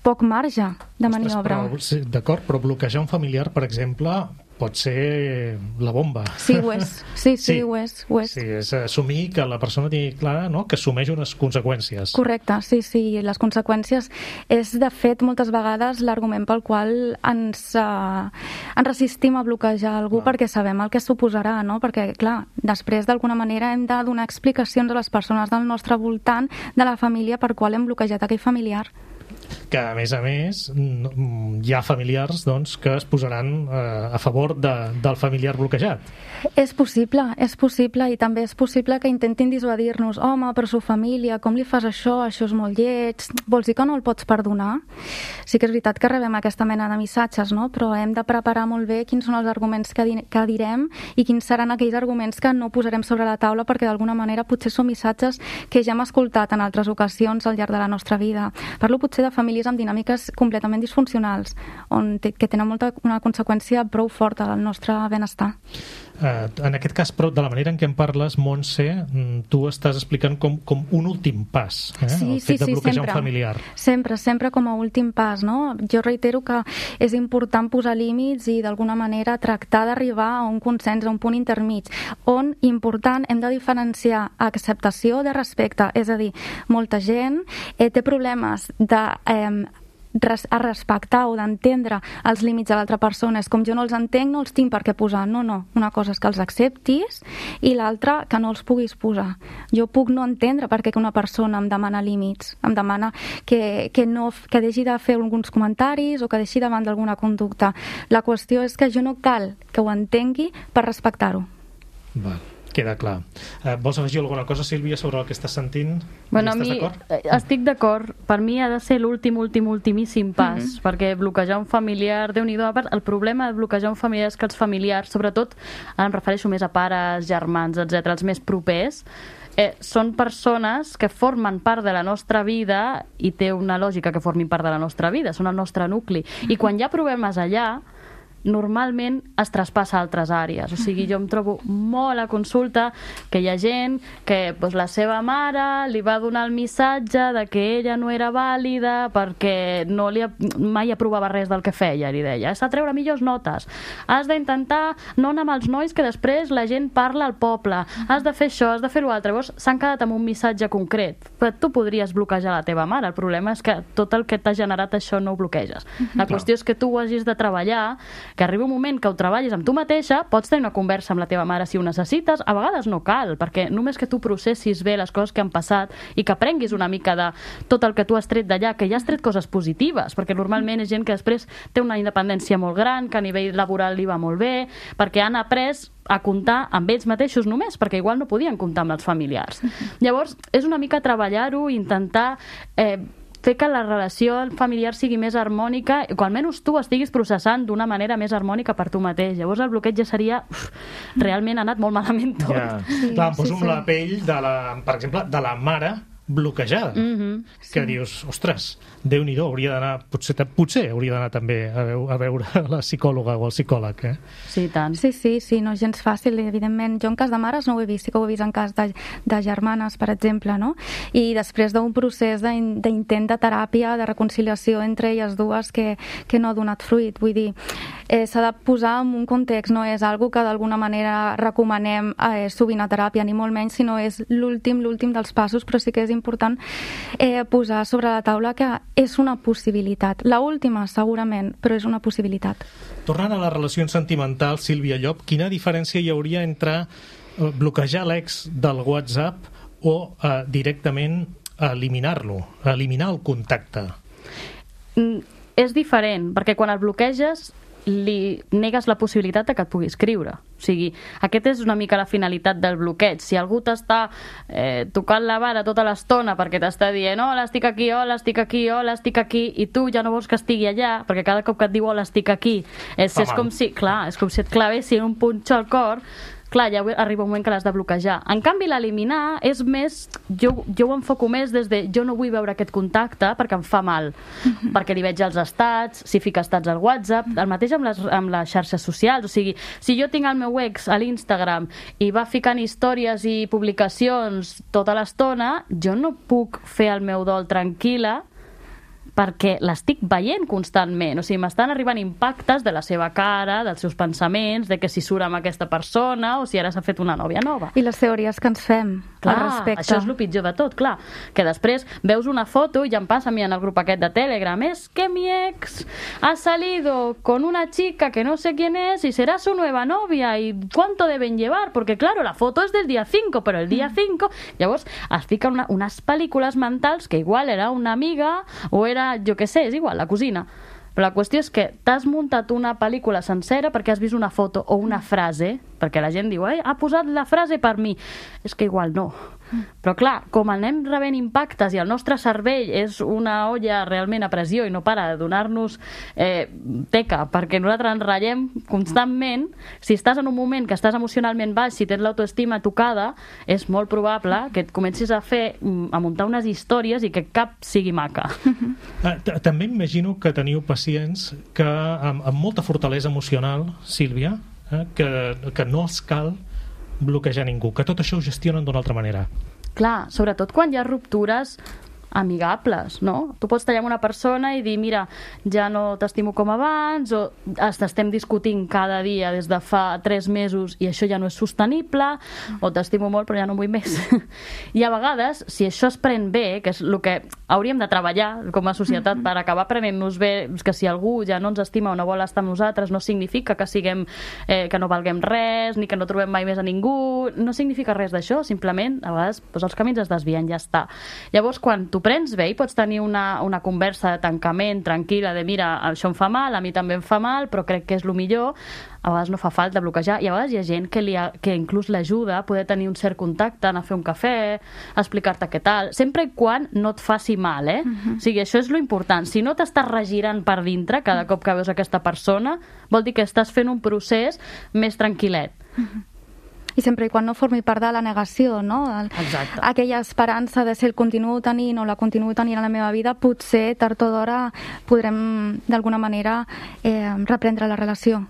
poc marge de maniobra. D'acord, però bloquejar un familiar, per exemple, pot ser la bomba. Sí, ho és. Sí, ho és. Sí, és assumir que la persona tingui clar, no?, que assumeix unes conseqüències. Correcte, sí. Les conseqüències és, de fet, moltes vegades l'argument pel qual ens resistim a bloquejar algú, perquè sabem el que suposarà, no? Perquè, clar, després d'alguna manera hem de donar explicacions a les persones del nostre voltant, de la família, per qual hem bloquejat aquell familiar. Que, a més, hi ha familiars, doncs, que es posaran a favor del familiar bloquejat. És possible, i també és possible que intentin dissuadir-nos. Home, però su família, com li fas això? Això és molt lleig. Vols dir que no el pots perdonar? Sí que és veritat que rebem aquesta mena de missatges, no? Però hem de preparar molt bé quins són els arguments que direm i quins seran aquells arguments que no posarem sobre la taula, perquè d'alguna manera potser són missatges que ja hem escoltat en altres ocasions al llarg de la nostra vida. Parlo potser de famílies amb dinàmiques completament disfuncionals, que tenen una conseqüència prou forta al nostre benestar. En aquest cas, però, de la manera en què en parles, Montse, tu estàs explicant com un últim pas, el fet de bloquejar un familiar. Sempre com a últim pas, no? Jo reitero que és important posar límits i d'alguna manera tractar d'arribar a un consens, a un punt intermig, on, important, hem de diferenciar acceptació de respecte, és a dir, molta gent té problemes a respectar o d'entendre els límits de l'altra persona. És com jo no els entenc, no els tinc per què posar. No. Una cosa és que els acceptis i l'altra que no els puguis posar. Jo puc no entendre per què una persona em demana límits, em demana que deixi de fer alguns comentaris o que deixi davant d'alguna conducta. La qüestió és que jo no cal que ho entengui per respectar-ho. Val. Queda clar. Vols afegir alguna cosa, Sílvia, sobre el que estàs sentint? Bueno, estic d'acord. Per mi ha de ser l'ultimíssim pas, perquè bloquejar un familiar, Déu-n'hi-do, el problema de bloquejar un familiar és que els familiars, sobretot, em refereixo més a pares, germans, etc., els més propers, són persones que formen part de la nostra vida i té una lògica que formin part de la nostra vida, són el nostre nucli. I quan hi ha problemes allà, normalment es traspassa a altres àrees. O sigui, jo em trobo molt a consulta que hi ha gent que la seva mare li va donar el missatge de que ella no era vàlida perquè mai aprovava res del que feia, li deia. Has de treure millors notes. Has d'intentar no anar amb els nois que després la gent parla al poble. Has de fer això, has de fer l'altre. Llavors s'han quedat amb un missatge concret. Però tu podries bloquejar la teva mare. El problema és que tot el que t'ha generat això no ho bloqueges. La qüestió és que tu ho hagis de treballar, que arriba un moment que ho treballis amb tu mateixa, pots tenir una conversa amb la teva mare si ho necessites, a vegades no cal, perquè només que tu processis bé les coses que han passat i que aprenguis una mica de tot el que tu has tret d'allà, que ja has tret coses positives, perquè normalment és gent que després té una independència molt gran, que a nivell laboral li va molt bé, perquè han après a comptar amb ells mateixos només, perquè igual no podien comptar amb els familiars. Llavors, és una mica treballar-ho, intentar fer que la relació familiar sigui més harmònica i que almenys tu estiguis processant d'una manera més harmònica per tu mateix. Llavors el bloqueig ja seria... realment ha anat molt malament tot. Ja. Clar, em poso amb la pell, per exemple, de la mare bloquejada, que dius, ostres, Déu-n'hi-do, hauria d'anar, potser hauria d'anar també a veure la psicòloga o el psicòleg, Sí, tant. Sí, no és gens fàcil, evidentment. Jo en cas de mares no ho he vist, sí que ho he vist en cas de germanes, per exemple, no? I després d'un procés d'intent de teràpia, de reconciliació entre elles dues que no ha donat fruit. Vull dir, s'ha de posar en un context, no és algo que d'alguna manera recomanem sovint a teràpia, ni molt menys, sinó és l'últim dels passos, però sí que és important posar sobre la taula que és una possibilitat. La última, segurament, però és una possibilitat. Tornant a les relacions sentimentals, Sílvia Llop, quina diferència hi hauria entre bloquejar l'ex del WhatsApp o directament eliminar-lo, eliminar el contacte? És diferent, perquè quan el bloqueges li negues la possibilitat que et pugui escriure. O sigui, aquesta és una mica la finalitat del bloqueig. Si algú t'està tocant la vara tota l'estona perquè t'està dient hola, estic aquí, hola, estic aquí, hola, estic aquí, i tu ja no vols que estigui allà, perquè cada cop que et diu hola, estic aquí, és com si et clavessin un punxo al cor. Clar, ja arriba un moment que l'has de bloquejar. En canvi, l'eliminar és més... Jo ho enfoco més des de jo no vull veure aquest contacte perquè em fa mal, perquè li veig els estats, si fica estats al WhatsApp, el mateix amb les xarxes socials. O sigui, si jo tinc el meu ex a l'Instagram i va ficant històries i publicacions tota l'estona, jo no puc fer el meu dol tranquil·la perquè l'estic veient constantment. O sigui, m'estan arribant impactes de la seva cara, dels seus pensaments, de que si surt amb aquesta persona o si ara s'ha fet una nòvia nova. I les teories que ens fem al respecte. Això és el pitjor de tot, clar. Que després veus una foto, i ja em passa a mi en el grup aquest de Telegram, és que mi ex ha salido con una chica que no sé quién es y será su nueva novia y cuánto deben llevar, porque claro, la foto es del día 5, pero el día 5... Llavors es fica unes pel·lícules mentals que igual era una amiga o era, jo què sé, és igual, la cosina. Però la qüestió és que t'has muntat una pel·lícula sencera perquè has vist una foto o una frase perquè la gent diu, ha posat la frase per mi. És que igual no. Però clar, com anem rebent impactes i el nostre cervell és una olla realment a pressió i no para de donar-nos teca perquè nosaltres ens ratllem constantment, si estàs en un moment que estàs emocionalment baix, si tens l'autoestima tocada, és molt probable que et comencis a muntar unes històries i que cap sigui maca. També imagino que teniu pacients que amb molta fortalesa emocional, Sílvia, que no els cal bloquejar ningú, que tot això ho gestionen d'una altra manera. Clar, sobretot quan hi ha ruptures amigables, no? Tu pots tallar amb una persona i dir, mira, ja no t'estimo com abans, o estem discutint cada dia des de fa 3 mesos i això ja no és sostenible, o t'estimo molt però ja no vull més. I a vegades, si això es pren bé, que és el que hauríem de treballar com a societat per acabar prenent-nos bé, que si algú ja no ens estima o no vol estar amb nosaltres, no significa que que no valguem res, ni que no trobem mai més a ningú, no significa res d'això, simplement a vegades els camins es desvien, ja està. Llavors, quan tu prens bé i pots tenir una conversa de tancament tranquil·la de mira, això em fa mal, a mi també em fa mal, però crec que és el millor, a vegades no fa falta bloquejar, i a vegades hi ha gent que inclús l'ajuda a poder tenir un cert contacte, anar a fer un cafè, explicar-te què tal, sempre i quan no et faci mal, O sigui, això és lo important. Si no t'estàs regirant per dintre cada cop que veus aquesta persona, vol dir que estàs fent un procés més tranquil·let. I sempre i quan no formi part de la negació, no? Exacte. Aquella esperança de si el continuo tenint o la continuo tenint a la meva vida, potser tard o d'hora podrem d'alguna manera reprendre la relació.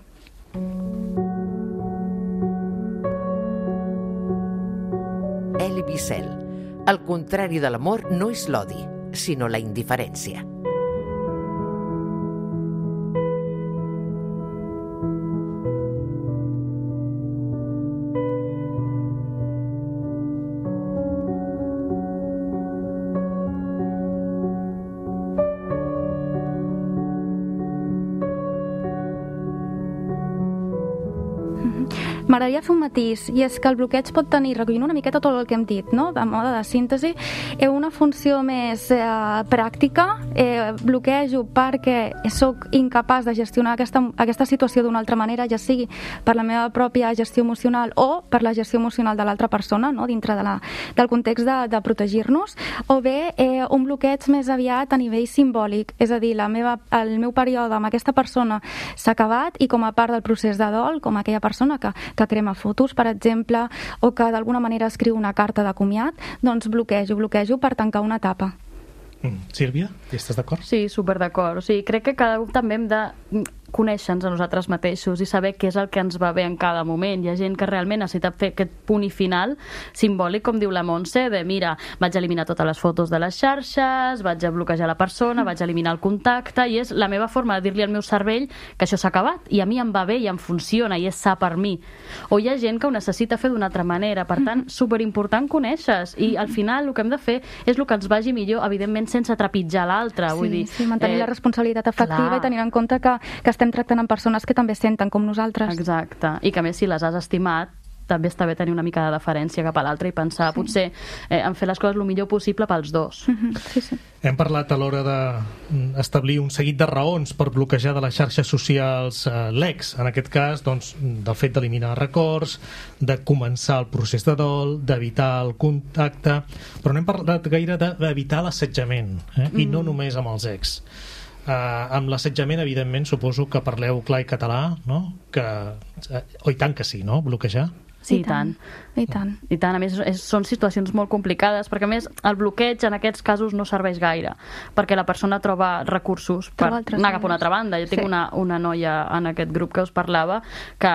Elie Wiesel. El contrari de l'amor no és l'odi, sinó la indiferència. M'agradaria fer un matís, i és que el bloqueig pot tenir, recollint una miqueta tot el que hem dit, no? De mode de síntesi, una funció més pràctica, bloquejo perquè sóc incapaç de gestionar aquesta situació d'una altra manera, ja sigui per la meva pròpia gestió emocional o per la gestió emocional de l'altra persona, no? Dintre del context de protegir-nos, o bé un bloqueig més aviat a nivell simbòlic, és a dir, el meu període amb aquesta persona s'ha acabat i com a part del procés de dol, com aquella persona que crema fotos, per exemple, o que d'alguna manera escriu una carta de comiat, doncs bloquejo per tancar una etapa. Sílvia, hi estàs d'acord? Sí, super d'acord. O sigui, crec que cada un també hem de conèixer-nos a nosaltres mateixos i saber què és el que ens va bé en cada moment. Hi ha gent que realment necessita fer aquest punt i final simbòlic, com diu la Montse, de mira, vaig eliminar totes les fotos de les xarxes, vaig a bloquejar la persona, vaig eliminar el contacte, i és la meva forma de dir-li al meu cervell que això s'ha acabat, i a mi em va bé i em funciona i és sa per mi. O hi ha gent que ho necessita fer d'una altra manera, per tant, superimportant conèixer-se, i al final el que hem de fer és el que ens vagi millor, evidentment sense trepitjar l'altre. Sí, mantenir la responsabilitat afectiva i tenint en compte que estem tractant amb persones que també senten com nosaltres. Exacte, i que a més si les has estimat també està bé tenir una mica de deferència cap a l'altre i pensar, potser en fer les coses el millor possible pels dos. Sí. Hem parlat a l'hora d'establir un seguit de raons per bloquejar de les xarxes socials l'ex, en aquest cas doncs, del fet d'eliminar records, de començar el procés de dol, d'evitar el contacte, però no hem parlat gaire d'evitar l'assetjament, i no només amb els ex. Amb l'assetjament, evidentment, suposo que parleu clar i català, no? I tant que sí, no? Bloquejar? Sí, i tant. I tant. I tant. A més, són situacions molt complicades, perquè a més el bloqueig en aquests casos no serveix gaire, perquè la persona troba recursos per anar cap a una altra banda. Jo tinc una noia en aquest grup que us parlava que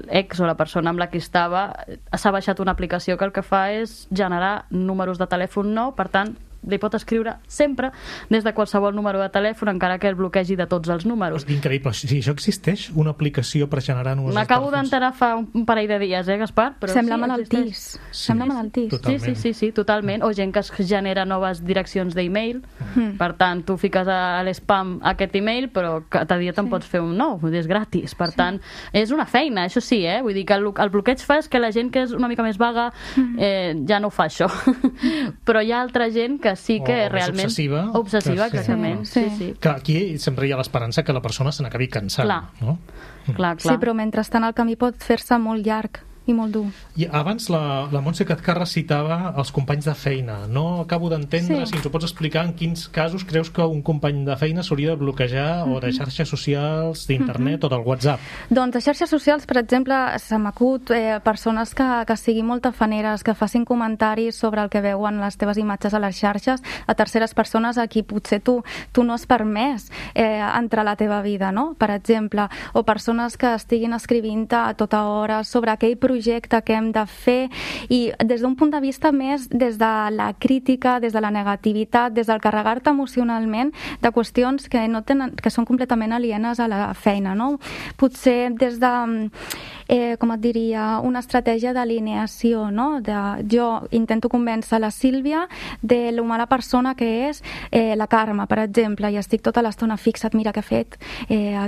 l'ex o la persona amb la que estava s'ha baixat una aplicació que el que fa és generar números de telèfon nou, per tant, li pot escriure sempre des de qualsevol número de telèfon, encara que el bloquegi de tots els números. Increïble. Si això existeix, una aplicació per generar números de telèfons. M'acabo d'enterar fa un parell de dies, Gaspar? Però sembla malaltís. Sembla malaltís. Sí, totalment. O gent que es genera noves direccions d'e-mail. Per tant, tu fiques a l'espam aquest e-mail, però cada dia te'n pots fer un nou, és gratis. Per tant, és una feina, això sí, Vull dir que el bloqueig fa és que la gent que és una mica més vaga ja no ho fa, això. Però hi ha altra gent que que sí que o realment... obsessiva. Obsessiva, exactament. Sí. Que aquí sempre hi ha l'esperança que la persona se n'acabi cansant. Clar. No? Clar. Sí, però mentrestant el camí pot fer-se molt llarg i molt dur. I abans la Montse Cathcarra citava els companys de feina. No acabo d'entendre, si ens ho pots explicar, en quins casos creus que un company de feina s'hauria de bloquejar o de xarxes socials, d'internet o del WhatsApp? Doncs de xarxes socials, per exemple, se m'acut persones que siguin molt tafaneres, que facin comentaris sobre el que veuen les teves imatges a les xarxes a terceres persones a qui potser tu no has permès entrar a la teva vida, no? Per exemple, o persones que estiguin escrivint a tota hora sobre aquell projecte que hem de fer i des d'un punt de vista més des de la crítica, des de la negativitat, des del carregar-te emocionalment de qüestions que són completament alienes a la feina, no? Potser des de, com et diria, una estratègia d'alineació, no? Jo intento convèncer la Sílvia de la mala persona que és la Carme, per exemple, i estic tota l'estona fixa't, mira què ha fet,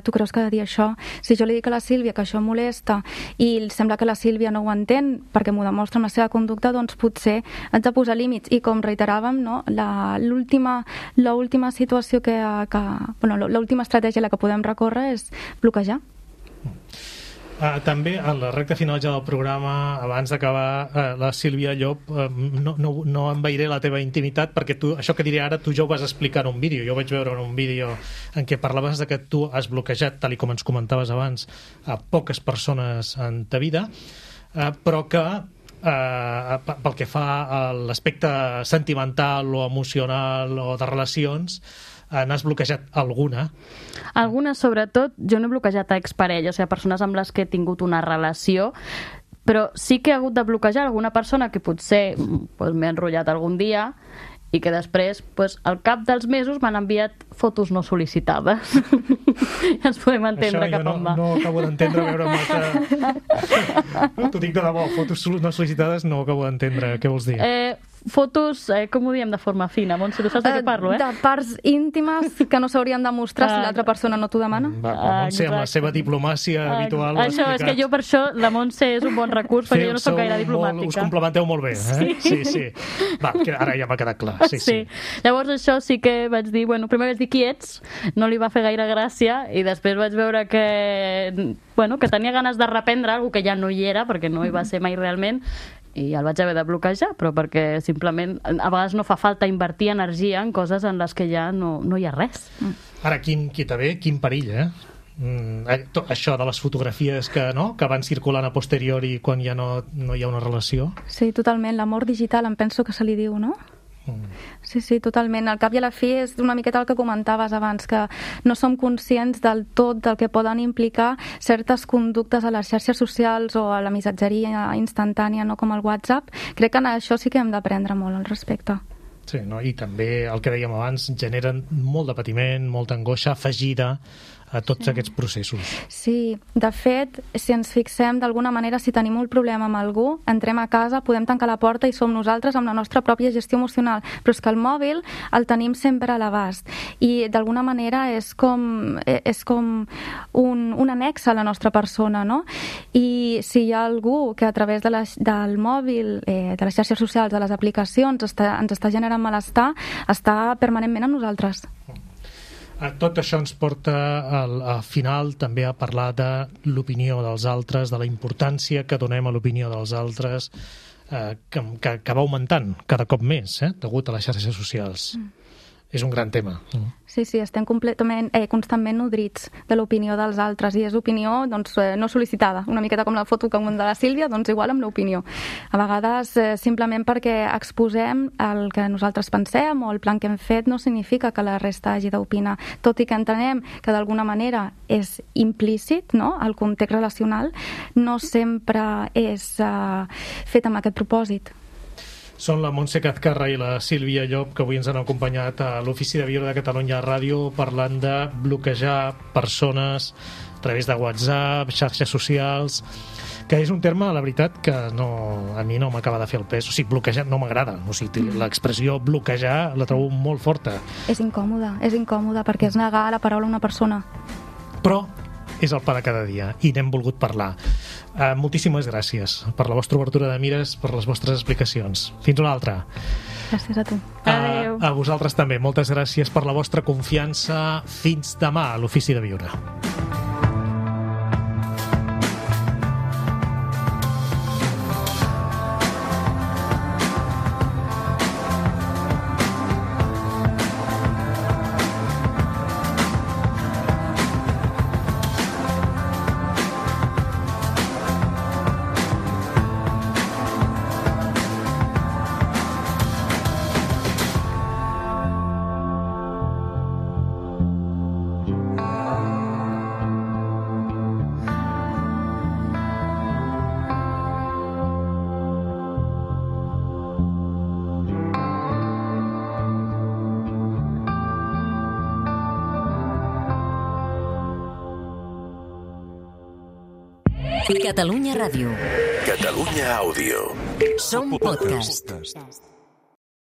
tu creus que ha de dir això? Si jo li dic a la Sílvia que això molesta i sembla que la Sílvia no ho entén perquè m'ho demostra amb la seva conducta, doncs potser haig de posar límits. I com reiteràvem, no? L'última situació l'última estratègia a la que podem recórrer és bloquejar. També a la recta final ja del programa, abans d'acabar, la Sílvia Llop, no envairé la teva intimitat perquè tu, això que diré ara, tu ja ho vas explicar en un vídeo. Jo vaig veure en un vídeo en què parlaves de que tu has bloquejat, tal com ens comentaves abans, a poques persones en ta vida, però que pel que fa a l'aspecte sentimental o emocional o de relacions, n'has bloquejat alguna? Alguna, sobretot, jo no he bloquejat a exparelles, o sigui, persones amb les que he tingut una relació, però sí que he hagut de bloquejar alguna persona que potser m'he enrotllat algun dia i que després, al cap dels mesos, m'han enviat fotos no sol·licitades. Ja ens podem entendre cap on va. Això jo no acabo d'entendre veure molta... T'ho dic de debò, fotos no sol·licitades no acabo d'entendre. Què vols dir? Fotos, com ho diem de forma fina? Montse, tu saps de què parlo, De parts íntimes que no s'haurien de mostrar si l'altra persona no t'ho demana. La Montse, amb la seva diplomàcia habitual... Això, és que jo per això la Montse és un bon recurs, perquè jo no soc gaire diplomàtica. Us complementeu molt bé, eh? Sí. Va, ara ja m'ha quedat clar. Sí. Llavors això sí que vaig dir, primer vaig dir qui ets, no li va fer gaire gràcia, i després vaig veure que tenia ganes de reprendre alguna que ja no hi era, perquè no hi va ser mai realment, i el vaig haver de bloquejar, però perquè simplement a vegades no fa falta invertir energia en coses en les que ja no hi ha res. Ara, quin perill, això de les fotografies que van circulant a posteriori quan ja no hi ha una relació. Sí, totalment, l'amor digital em penso que se li diu, no? Sí, totalment. Al cap i a la fi és una miqueta el que comentaves abans, que no som conscients del tot del que poden implicar certes conductes a les xarxes socials o a la missatgeria instantània, no com el WhatsApp. Crec que en això sí que hem d'aprendre molt al respecte. Sí, no? I també el que dèiem abans, generen molt de patiment, molta angoixa afegida a tots aquests processos. Sí, de fet, si ens fixem d'alguna manera, si tenim un problema amb algú, entrem a casa, podem tancar la porta i som nosaltres amb la nostra pròpia gestió emocional, però és que el mòbil el tenim sempre a l'abast i d'alguna manera és com un annex a la nostra persona, no? I si hi ha algú que a través del mòbil, de les xarxes socials, de les aplicacions, ens està generant malestar, està permanentment amb nosaltres. Tot això ens porta al final també a parlar de l'opinió dels altres, de la importància que donem a l'opinió dels altres, que va augmentant cada cop més, degut a les xarxes socials. És un gran tema. Sí, estem constantment nodrits de l'opinió dels altres i és opinió no sol·licitada, una miqueta com la foto que de la Sílvia, doncs igual amb l'opinió. A vegades simplement perquè exposem el que nosaltres pensem o el plan que hem fet no significa que la resta hagi d'opinar, tot i que entenem que d'alguna manera és implícit, no? El context relacional no sempre és fet amb aquest propòsit. Són la Montse Cathcarra i la Sílvia Llop, que avui ens han acompanyat a l'Ofici de Viure de Catalunya Ràdio parlant de bloquejar persones a través de WhatsApp, xarxes socials, que és un terme, la veritat, que a mi no m'acaba de fer el pes. O sigui, bloquejar no m'agrada. O sigui, l'expressió bloquejar la trobo molt forta. És incòmoda perquè és negar la paraula a una persona. Però és el pa de cada dia i n'hem volgut parlar. Moltíssimes gràcies per la vostra obertura de mires, per les vostres explicacions. Fins una altra. Gràcies a tu. Adéu. A vosaltres també. Moltes gràcies per la vostra confiança. Fins demà a l'Ofici de Viure. Catalunya Ràdio. Catalunya Àudio. Som podcast.